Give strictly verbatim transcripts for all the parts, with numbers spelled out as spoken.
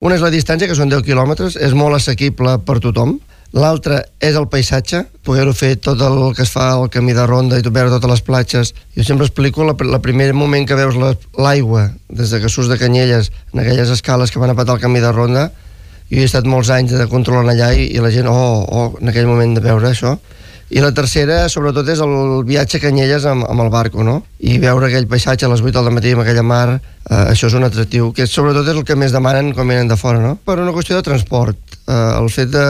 Una és la distància, que són deu quilòmetres, és molt assequible per tothom. L'altra és el paisatge, poder-ho fer tot el que es fa al camí de ronda i veure totes les platges. Jo sempre explico la, la primer moment que veus l'aigua, des de que surts de Canyelles, en aquelles escales que van a patar el camí de ronda. Jo he estat molts anys de controlant allà i, i la gent, oh, oh, en aquell moment de veure això. I la tercera, sobretot, és el viatge a Canyelles amb, amb el barco, no? I veure aquell paisatge a les vuit del matí amb aquella mar, eh, això és un atractiu, que sobretot és el que més demanen quan venen de fora, no? Per una qüestió de transport, eh, el fet de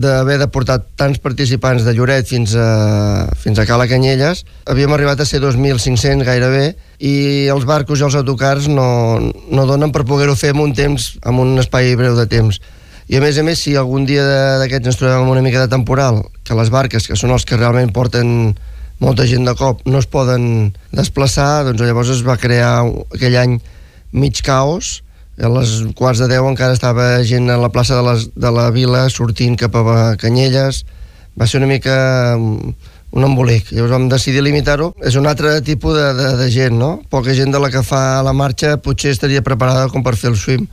d'haver de portar tants participants de Lloret fins a, fins a Cala Canyelles, havíem arribat a ser dos mil cinc-cents gairebé, i els barcos i els autocars no, no donen per poder-ho fer en un temps, en un espai breu de temps. I a més a més, si algun dia d'aquests ens trobem amb una mica de temporal, que les barques, que són els que realment porten molta gent de cop, no es poden desplaçar, doncs llavors es va crear aquell any mig caos. A les quarts de deu encara estava gent a la plaça de, les, de la vila sortint cap a Canyelles. Va ser una mica un embolic. Llavors vam decidir limitar-ho. És un altre tipus de, de, de gent, no? Poca gent de la que fa la marxa potser estaria preparada com per fer el swim.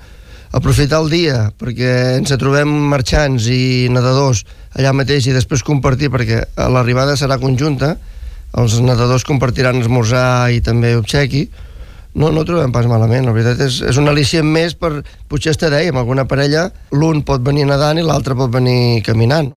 Aprofitar el dia, perquè ens trobem marxants i nedadors allà mateix i després compartir, perquè l'arribada serà conjunta, els nedadors compartiran esmorzar i també obsequi. No, no ho trobem pas malament, la veritat és, és un al·licient més per, potser està dèiem, alguna parella, l'un pot venir nedant i l'altre pot venir caminant.